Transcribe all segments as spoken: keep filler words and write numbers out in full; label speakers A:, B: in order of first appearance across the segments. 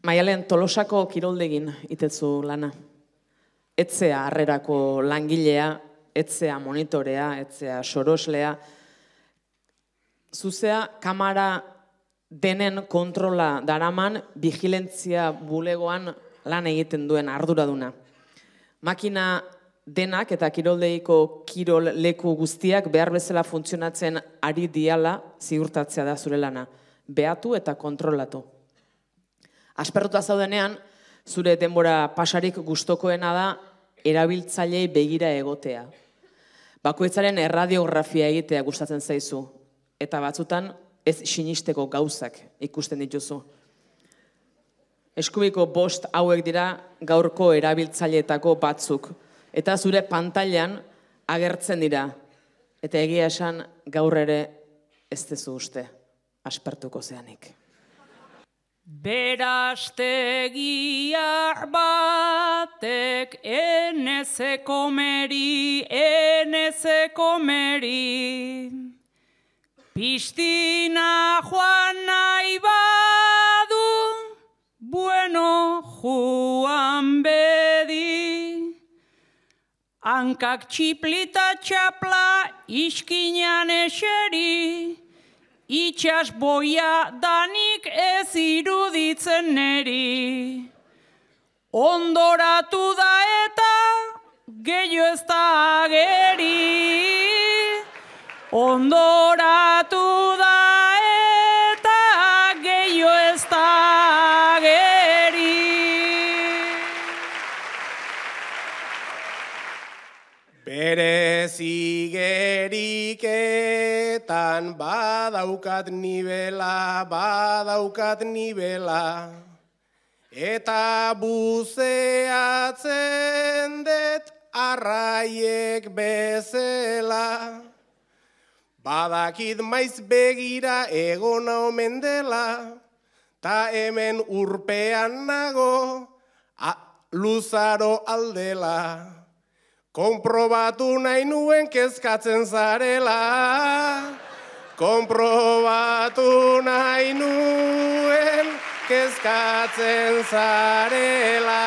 A: Maialen, Tolosako kiroldegin itetzu lana. Etzea harrerako langilea, etzea monitorea, etzea soroslea. Zuzea kamara denen kontrola daraman vigilentzia bulegoan lan egiten duen arduraduna. Makina denak eta kiroldeiko kirol leku guztiak behar bezala funtzionatzen ari diala ziurtatzea da zure lana. Behatu eta kontrolatu. Aspertuta zaudenean, zure denbora pasarik gustokoena da erabiltzailei begira egotea. Bakoitzaren erradiografia egitea gustatzen zaizu, eta batzutan ez sinisteko gauzak ikusten dituzu. Eskubiko bost hauek dira gaurko erabiltzaileetako batzuk, eta zure pantailan agertzen dira, eta egia esan gaur ere ez dezu uste, aspertuko zeanik.
B: Berastegia batek eneze komeri, eneze komeri. Pistina joan nahi badu, bueno juan bedi. Hankak txiplita txapla iskinan eseri, itxas boia danik ez iruditzen neri. Ondoratu da eta gehiago ez da ageri. Ondoratu da eta gehiago ez da ageri.
C: Berez igeriketan badaukat nibela, badaukat nibela, eta buzeatzen dut arraiek bezela. Badakit maiz begira egona omen dela, ta hemen urpean nago luzaro aldela. Konprobatu nahi nuen kezkatzen zarela, konprobatu nahi nuen kezkatzen zarela.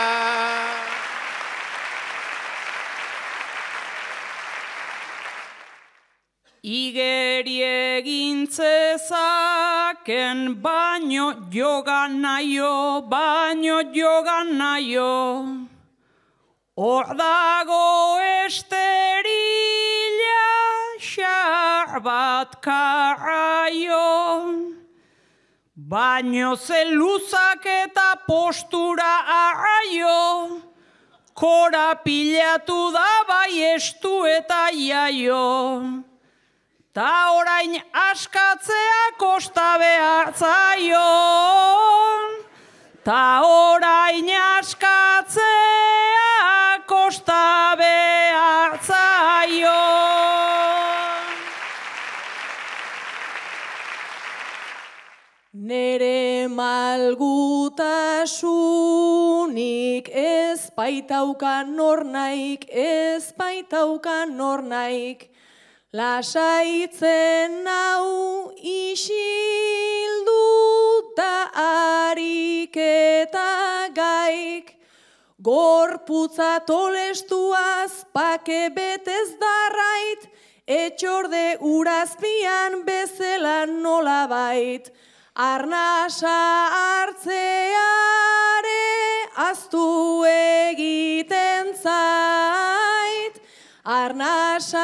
B: Igeri egin zezaken baino jogan naio, baino jogan naio. Hor dago esterila xar bat karraio, baino zeluzak eta postura arraio, korapilatu da bai estu eta jaio. Ta orain askatzea kosta behar zaio, ta orain askatzea kosta behar zaio.
D: Nere malgutasunik ez baitaukan nor naik, ez baitaukan nor naik. Lasaitzen nau isilduta harik eta gaik. Gorputza tolestuaz pake betez darrait, etxorde urazpian bezala nolabait. Arnasa hartzeare aztu egiten zait, arnasa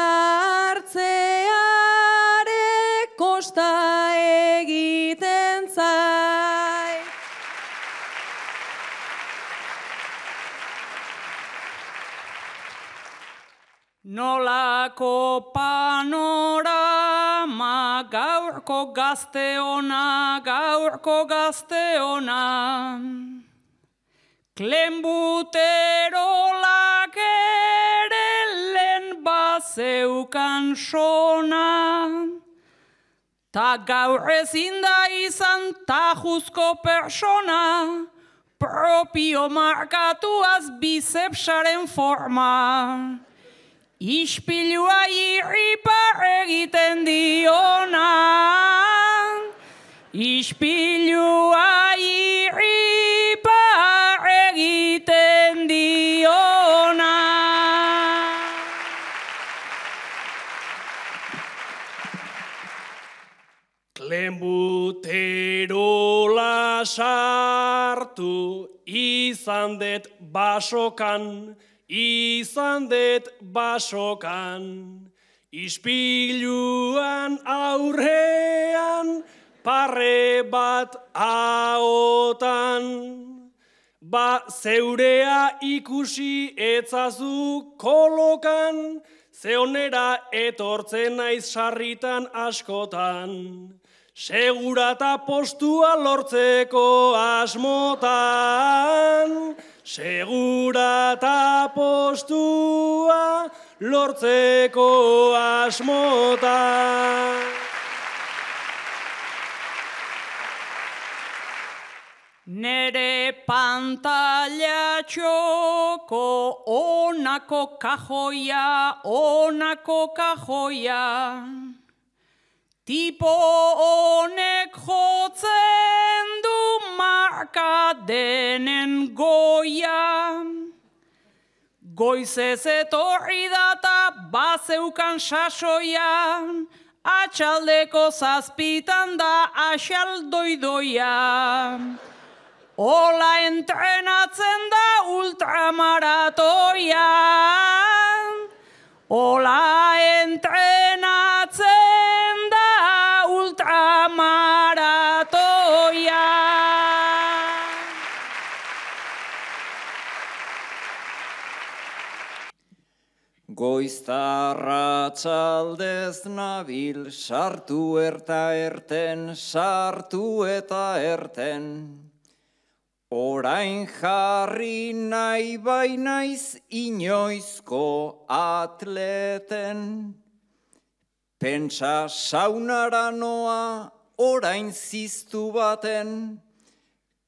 D: hartzeare kosta egiten zait.
B: Nolako panorama gaurko gazteona, gaurko gazteona. Klenbuterolak ere lehen bazeukan sona. Ta gaur ezin da izan tajuzko persona, propio markatuaz bizepsaren forma. Ispilua irripar egiten diona, ispilua irripar
C: sartu, izan det basokan, izan det basokan. Ispiluan aurrean, parre bat ahotan. Ba zeurea ikusi etzazu kolokan, zeonera etortzen naiz sarritan askotan. Segurata postua lortzeko asmotan, segurata postua lortzeko asmotan.
B: Nere pantalla txoko, onako kajoia, onako kajoia. Tipo honek jotzen du marka denen goia. Goizez etorri data bazeukan sasoia, atxaldeko zazpitan da axaldoidoia. Ola entrenatzen da ultramaratoia, ola entrenatzen da ultramaratoia.
E: Goiztarra txaldez nabil, sartu erta erten, sartu eta erten. Orain jarri nahi bainaiz inoizko atleten. Pentsa saunara noa orain ziztu baten,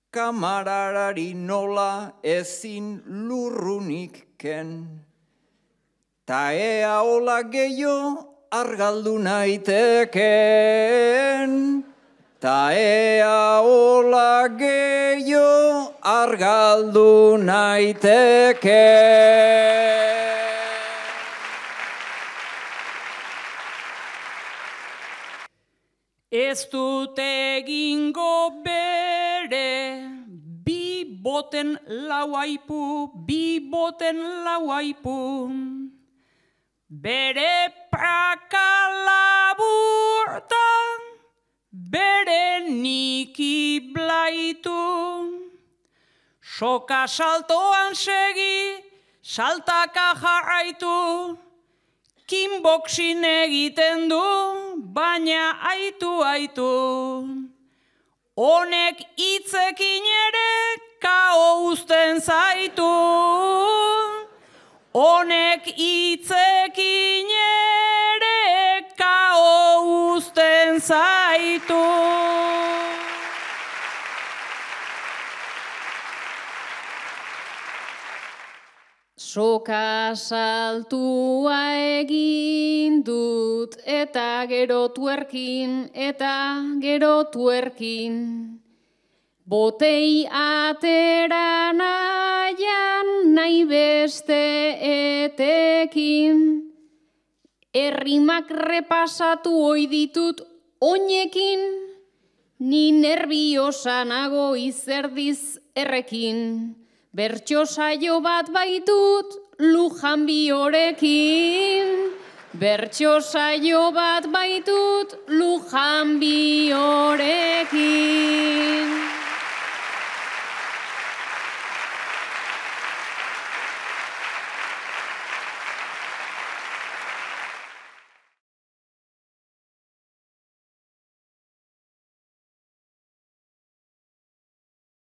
E: kamararari nola ezin lurrunik ken. Ta ea hola gehiago argaldu naiteken. Ta ea hola gehiago argaldu naiteken.
B: Ez dut egingo bere, bi boten lau aipu, bi boten lau aipu. Bere praka laburta, bere niki blaitu. Soka saltoan segi, saltaka jarraitu. Kickboxing egiten du, baina aitu aitu. Honek hitzekin ere kao uzten zaitu. Honek hitzekin ere kao uzten zaitu.
D: Soka saltua egin dut eta gero tuerkin, eta gero tuerkin. Botei atera nahian nahi beste etekin. Errimak repasatu ohi ditut oinekin, ni nerviosa nago izerdiz errekin. Bertso saio bat baitut Lujan Biorekin. Bertso saio bat baitut Lujan Biorekin.